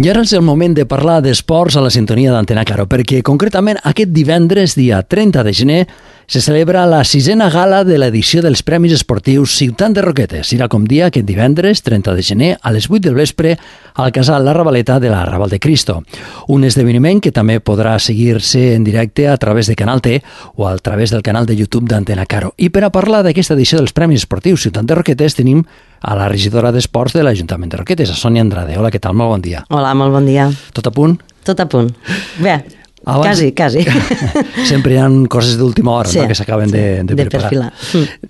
I ara és el moment de parlar d'esports a la sintonia d'Antena Caro, perquè concretament aquest divendres, dia 30 de gener, se celebra la 6a gala de l'edició dels Premis Esportius Ciutat de Roquetes. Serà com dia aquest divendres, 30 de gener, a les 8 del vespre, al casal La Ravaleta de la Raval de Cristo. Un esdeveniment que també podrà seguir-se en directe a través de Canal T o a través del canal de YouTube d'Antena Caro. I per a parlar d'aquesta edició dels Premis Esportius Ciutat de Roquetes tenim a la regidora d'Esports de l'Ajuntament de Roquetes, a Sònia Andrade. Hola, què tal? Molt bon dia. Hola, molt bon dia. Tot a punt? Tot a punt. Bé, quasi. Sempre hi ha coses d'última hora, sí, no?, que s'acaben de preparar. Perfilar.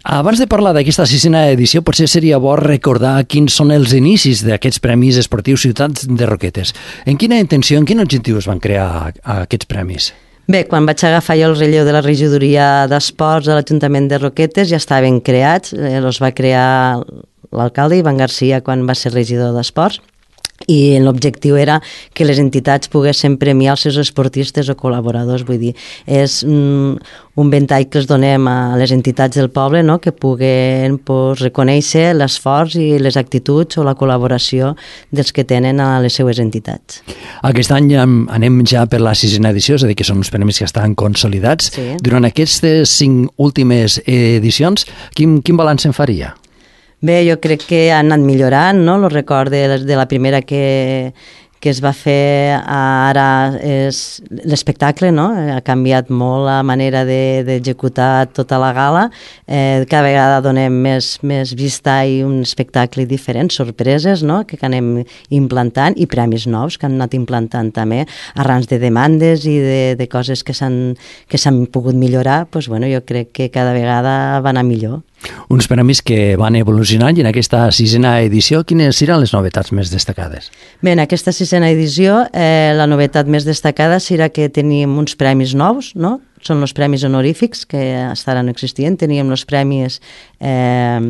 Abans de parlar d'aquesta 6a edició, potser seria bo recordar quins són els inicis d'aquests Premis Esportius Ciutats de Roquetes. En quina intenció, en quin objectiu es van crear aquests premis? Bé, quan vaig agafar jo el relleu de la regidoria d'Esports a l'Ajuntament de Roquetes ja estaven creats, els va crear l'alcalde Ivan Garcia quan va ser regidor d'Esports, i l'objectiu era que les entitats poguessin premiar els seus esportistes o col·laboradors. Vull dir, és un ventall que els donem a les entitats del poble, no?, que puguen reconèixer l'esforç i les actituds o la col·laboració dels que tenen a les seues entitats. Aquest any anem ja per la 6a edició, és a dir, que són uns premis que estan consolidats. Sí. Durant aquestes 5 últimes edicions, quin balanç en faria? Bé, jo crec que han anat millorant, no? El record de la primera que es va fer ara és l'espectacle, no? Ha canviat molt la manera d'executar tota la gala. Cada vegada donem més vista i un espectacle diferent, sorpreses, no?, que anem implantant, i premis nous que han anat implantant també, arran de demandes i de coses que s'han pogut millorar. Doncs, bueno, jo crec que cada vegada va anar millor. Uns premis que van evolucionant, i en aquesta 6a edició, quines seran les novetats més destacades? Bé, en aquesta 6a edició la novetat més destacada serà que tenim uns premis nous, no? Són els premis honorífics, que fins ara no existien. Teníem els premis que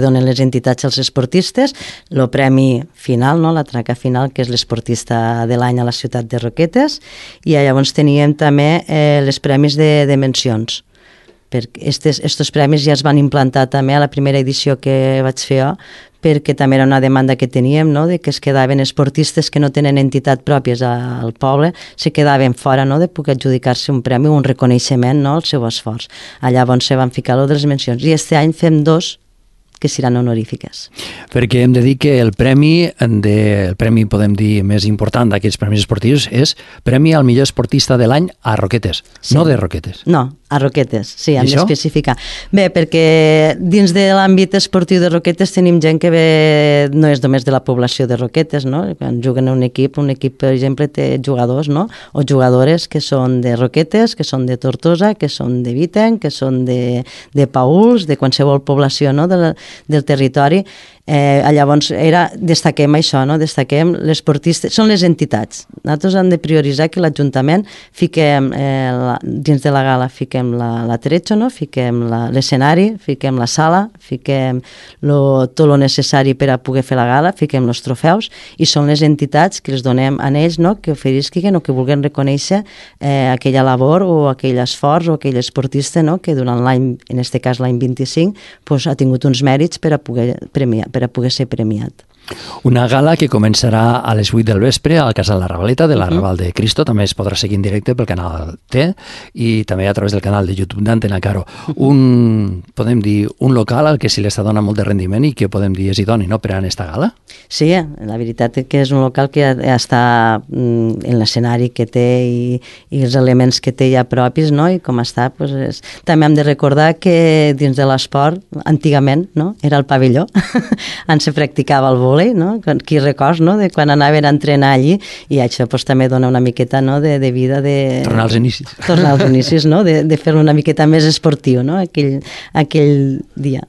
donen les entitats als esportistes, el premi final, no?, la traca final, que és l'esportista de l'any a la ciutat de Roquetes, i llavors teníem també els premis de mencions. Estos premis ja es van implantar també a la primera edició que vaig fer jo, perquè també era una demanda que teníem, no?, de que es quedaven esportistes que no tenen entitat pròpies al poble, se quedaven fora, no?, de poder adjudicar-se un premi o un reconeixement, no?, al seu esforç. Llavors se van ficar lo de les mencions, i este any fem 2 que seran honorífiques. Perquè hem de dir que el premi, podem dir, més important d'aquests premis esportius és Premi al millor esportista de l'any a Roquetes, sí. No de Roquetes. No, a Roquetes, sí, hem d'especificar. Bé, perquè dins de l'àmbit esportiu de Roquetes tenim gent que ve, no és només de la població de Roquetes, no? Quan juguen un equip, per exemple, té jugadors, no?, o jugadores que són de Roquetes, que són de Tortosa, que són de Viten, que són de Paüls, de qualsevol població, no?, del territori. Llavors destaquem això, no?, destaquem l'esportista, són les entitats. Nosaltres hem de prioritzar que l'Ajuntament fiquem, dins de la gala fiquem l'atrecho, no?, fiquem l'escenari, fiquem la sala, fiquem tot el necessari per a poder fer la gala, fiquem els trofeus, i són les entitats que els donem a ells, no?, que oferisquen o que vulguin reconèixer aquella labor o aquell esforç o aquell esportista, no?, que durant l'any, en aquest cas l'any 25, ha tingut uns mèrits per a poder ser premiat. Una gala que començarà a les 8 del vespre al casal La Ravaleta de la Raval de Cristo. També es podrà seguir en directe pel canal T i també a través del canal de YouTube d'Antena Caro. Podem dir, un local al que se li està donant molt de rendiment i que podem dir és idoni, no?, per a aquesta gala? Sí, la veritat és que és un local que està en l'escenari que té i els elements que té ja propis, no?, i com està, doncs també hem de recordar que dins de l'esport, antigament, no?, era el pavelló, on se practicava el vòlei, no?, qui records, no?, de quan anaven a entrenar allí, i això també dona una miqueta, no?, de vida de... Tornar als inicis. Tornar als inicis, no?, de fer-lo una miqueta més esportiu, no?, aquell dia.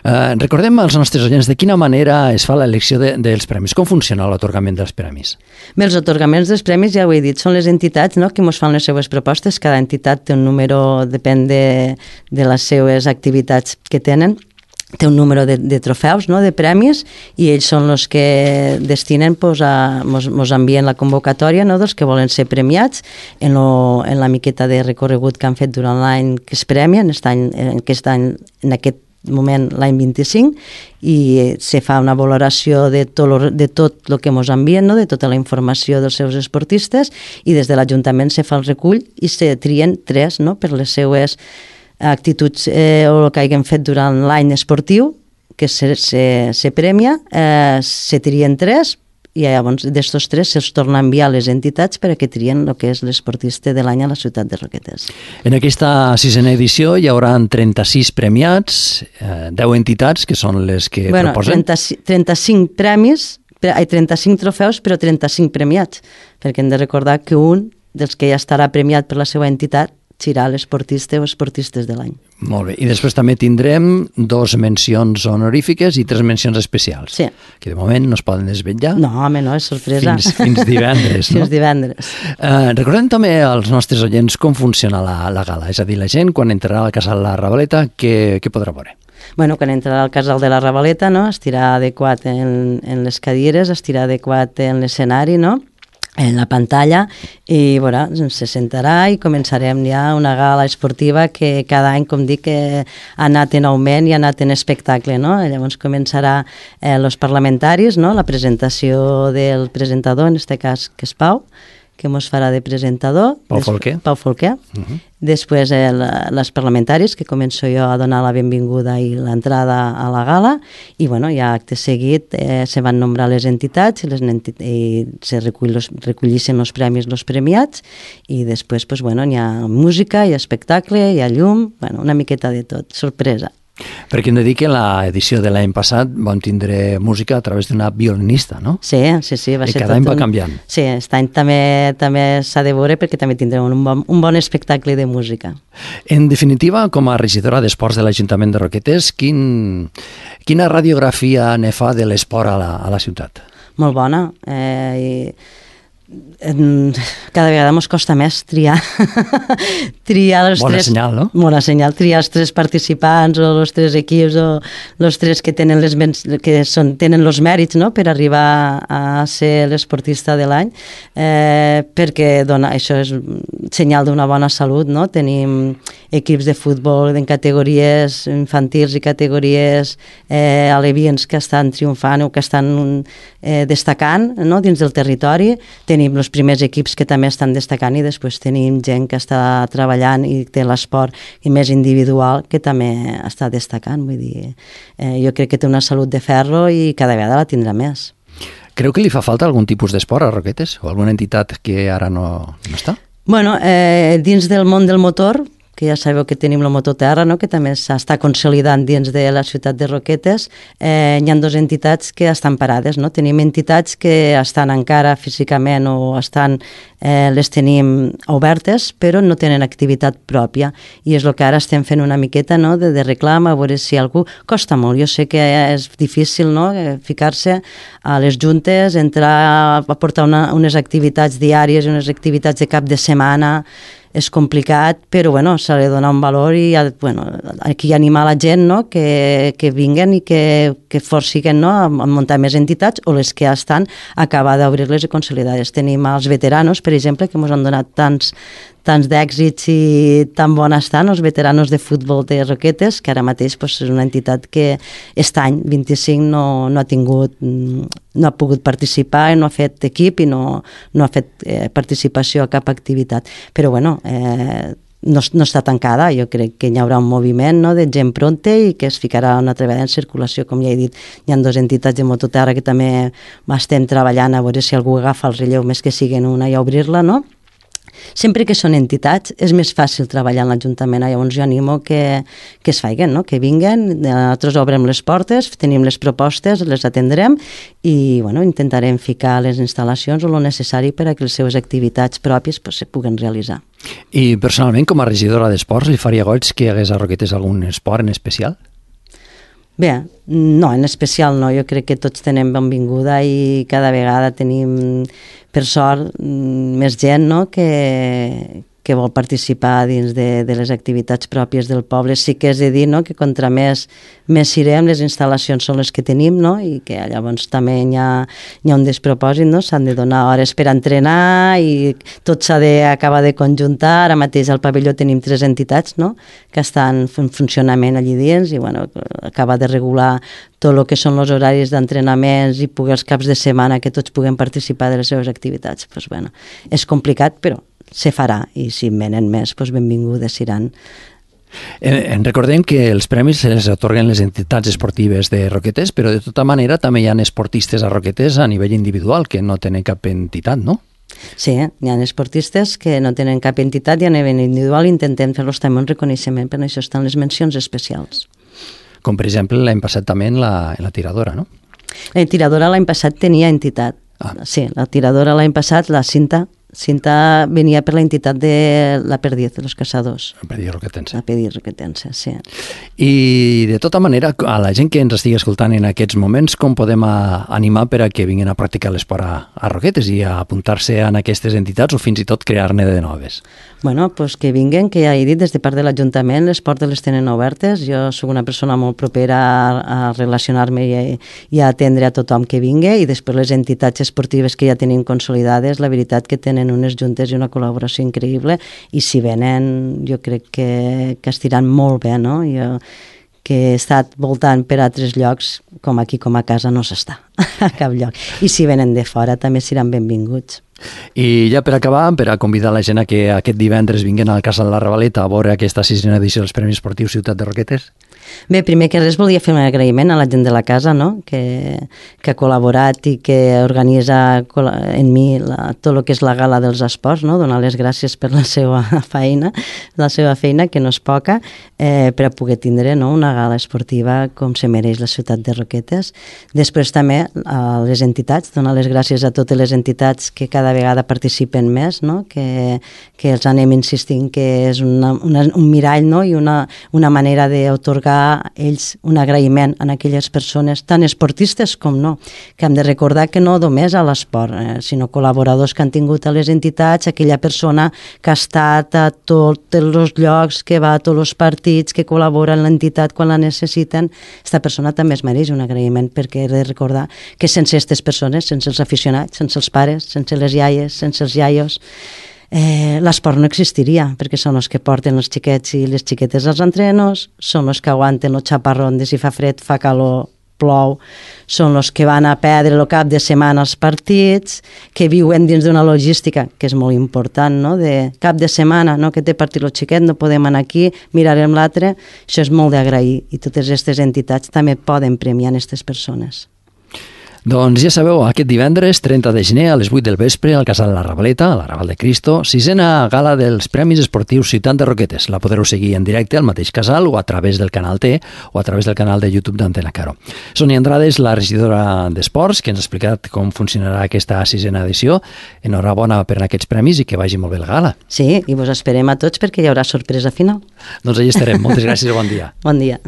Recordem als nostres oients de quina manera es fa l'elecció dels premis. Com funciona l'atorgament dels premis? Bé, els atorgaments dels premis, ja ho he dit, són les entitats, no?, que ens fan les seues propostes. Cada entitat té un número, depèn de les seues activitats que tenen. Té un número de trofeus, no?, de premis, i ells són els que destinen, ens envien la convocatòria, no?, dels que volen ser premiats en la miqueta de recorregut que han fet durant l'any que es premia, en aquest moment l'any 25, i se fa una valoració de tot el que ens envien, no? De tota la informació dels seus esportistes, i des de l'Ajuntament se fa el recull i se trien 3, no? Per les seues actituds o el que hagin fet durant l'any esportiu, que se premia, se trien 3, i llavors d'estos 3 se'ls torna a enviar a les entitats per a que trien el que és l'esportista de l'any a la ciutat de Roquetes. En aquesta 6a edició hi haurà 36 premiats, 10 entitats, que són les que proposen. 35 premis, 35 trofeus, però 35 premiats, perquè hem de recordar que un dels que ja estarà premiat per la seva entitat serà l'esportista o esportistes de l'any. Molt bé. I després també tindrem 2 mencions honorífiques i 3 mencions especials. Sí. Que de moment no es poden desvetllar. No, home, no, és sorpresa. Fins divendres, no? Fins divendres. Recordem també als nostres oients com funciona la gala. És a dir, la gent, quan entrarà al Casal La Ravaleta, què podrà veure? Bueno, quan entrarà al Casal de la Ravaleta, no? Estirà adequat en les cadires, estirà adequat en l'escenari, no? En la pantalla, i bueno, se sentarà i començarem ja una gala esportiva que cada any, com dic, ha anat en augment i ha anat en espectacle, no? Llavors començarà els parlamentaris, no? La presentació del presentador, en aquest cas que és Pau, que ens farà de presentador. Pau Folquer. Pau Folquer. Després les parlamentaris, que començo jo a donar la benvinguda i l'entrada a la gala, i bueno, ja acte seguit se van nombrar les entitats i se recollissin els premis, els premiats, i després pues, bueno, hi ha música, hi ha espectacle, hi ha llum, bueno, una miqueta de tot, sorpresa. Perquè hem de dir que l'edició de l'any passat vam tindre música a través d'una violinista, no? Sí, va ser cada any va canviant. Sí, aquest any també s'ha de veure perquè també tindrem un bon espectacle de música. En definitiva, com a regidora d'Esports de l'Ajuntament de Roquetes, quina radiografia ne fa de l'esport a la ciutat? Molt bona. Cada vegada ens costa més triar els bona 3... senyal, no? Bona senyal, triar els 3 participants o els 3 equips o els 3 que tenen tenen els mèrits, no? Per arribar a ser l'esportista de l'any, perquè això és senyal d'una bona salut, no? Tenim equips de futbol en categories infantils i categories alevians que estan triomfant o que estan destacant, no? Dins del territori. Tenim els primers equips que també estan destacant i després tenim gent que està treballant i té l'esport i més individual que també està destacant. Vull dir, jo crec que té una salut de ferro i cada vegada la tindrà més. Creu que li fa falta algun tipus d'esport a Roquetes? O alguna entitat que ara no està? Bueno, dins del món del motor, que ja sabeu que tenim la Mototerra, no? Que també s'està consolidant dins de la ciutat de Roquetes, hi ha 2 entitats que estan parades, no? Tenim entitats que estan encara físicament o les tenim obertes, però no tenen activitat pròpia, i és el que ara estem fent una miqueta, no? de reclam, a veure si algú... Costa molt, jo sé que és difícil, no? Ficar-se a les juntes, entrar a portar unes activitats diàries, unes activitats de cap de setmana, és complicat, però bueno, s'ha de donar un valor i bueno, aquí animar la gent, no? que vinguen i que forciguen, no? a muntar més entitats, o les que ja estan, acabar d'obrir-les i consolidar-les. Tenim els veteranos, per exemple, que ens han donat tants d'èxits i tan bona estan, els veteranos de futbol de Roquetes, que ara mateix és una entitat que aquest any 25 no ha pogut participar i no ha fet equip i no ha fet participació a cap activitat. Però bueno, no està tancada, jo crec que hi haurà un moviment, no? De gent pronta i que es ficarà una altra vegada en circulació, com ja he dit. Hi ha 2 entitats de Mototerra que també estem treballant a veure si algú agafa el relleu més que siguen una i obrir-la, no? Sempre que són entitats és més fàcil treballar en l'Ajuntament, llavors jo animo que es facin, no? Que vinguen, nosaltres obrem les portes, tenim les propostes, les atendrem i bueno, intentarem ficar les instal·lacions o el necessari per a que les seves activitats pròpies se puguen realitzar. I personalment, com a regidora d'esports, li faria goig que hi hagués a Roquetes algun esport en especial? Bé, no, en especial no, jo crec que tots tenem benvinguda i cada vegada tenim, per sort, més gent, no? que que vol participar dins de les activitats pròpies del poble. Sí que és de dir, no?, que contra més irem, les instal·lacions són les que tenim, no?, i que llavors també hi ha un despropòsit, no?, s'han de donar hores per entrenar i tot s'ha d'acabar de conjuntar. Ara mateix al pavelló tenim 3 entitats, no?, que estan en funcionament allí dins i bueno, acaba de regular tot el que són els horaris d'entrenaments i poder els caps de setmana que tots puguem participar de les seves activitats. Pues bueno, és complicat, però se farà, i si en venen més, doncs benvingudes seran. Recordem que els premis els atorguen les entitats esportives de Roquetes, però de tota manera també hi ha esportistes a Roquetes a nivell individual que no tenen cap entitat, no? Sí, hi ha esportistes que no tenen cap entitat i a nivell individual intentem fer-los també un reconeixement, per això estan les mencions especials. Com per exemple l'any passat també en la tiradora, no? La tiradora l'any passat tenia entitat. Sí, la tiradora l'any passat, la Cinta venia per la entitat de la Perdiz, de los Caçadors. La Perdiz Roquetense. La Perdiz Roquetense, sí. I de tota manera, a la gent que ens estigui escoltant en aquests moments, com podem animar per a que vinguin a practicar l'esport a Roquetes i a apuntar-se en aquestes entitats o fins i tot crear-ne de noves? Bueno, pues que vinguin, que ja he dit, des de part de l'Ajuntament les portes les tenen obertes. Jo soc una persona molt propera a relacionar-me i a atendre a tothom que vingui, i després les entitats esportives que ja tenim consolidades, la veritat que tenen unes juntes i una col·laboració increïble, i si venen jo crec que estiran molt bé, no? Jo que he estat voltant per altres llocs, com aquí com a casa no s'està a cap lloc, i si venen de fora també seran benvinguts. I ja per acabar, per a convidar la gent a que aquest divendres vinguin al Casal La Ravaleta a veure aquesta 6a edició dels Premis Esportius Ciutat de Roquetes. Bé, primer que res volia fer un agraïment a la gent de la casa, no?, que ha col·laborat i que organitza en mi tot el que és la gala dels esports, no?, donar les gràcies per la seva feina, que no és poca, per a poder tindre, no?, una gala esportiva com se mereix la ciutat de Roquetes. Després també a les entitats, donar les gràcies a totes les entitats que cada vegada participen més, no?, que els anem insistint que és un mirall, no?, i una manera d'atorgar a ells un agraïment a aquelles persones, tant esportistes com no, que hem de recordar que no només a l'esport, sinó col·laboradors que han tingut a les entitats, aquella persona que ha estat a tots els llocs, que va a tots els partits, que col·labora en l'entitat quan la necessiten. Aquesta persona també es mereix un agraïment, perquè he de recordar que sense aquestes persones, sense els aficionats, sense els pares, sense les iaies, sense els iaios, l'esport no existiria, perquè són els que porten els xiquets i les xiquetes als entrenos, són els que aguanten els xaparrons de si fa fred, fa calor, plou, són els que van a perdre el cap de setmana als partits, que viuen dins d'una logística que és molt important, no?, de cap de setmana, no?, que té partit el xiquet, no podem anar aquí, mirarem l'altre. Això és molt d'agrair, i totes aquestes entitats també poden premiar aquestes persones. Doncs ja sabeu, aquest divendres 30 de gener a les 8 del vespre al Casal La Ravaleta, a la Raval de Cristo, 6a gala dels Premis Esportius Ciutat de Roquetes. La podreu seguir en directe al mateix casal o a través del canal T o a través del canal de YouTube d'Antena Caro. Sonia Andrades, la regidora d'Esports, que ens ha explicat com funcionarà aquesta 6a edició. Enhorabona per aquests premis i que vagi molt bé la gala. Sí, i vos esperem a tots perquè hi haurà sorpresa final. Doncs allà estarem. Moltes gràcies i bon dia. Bon dia.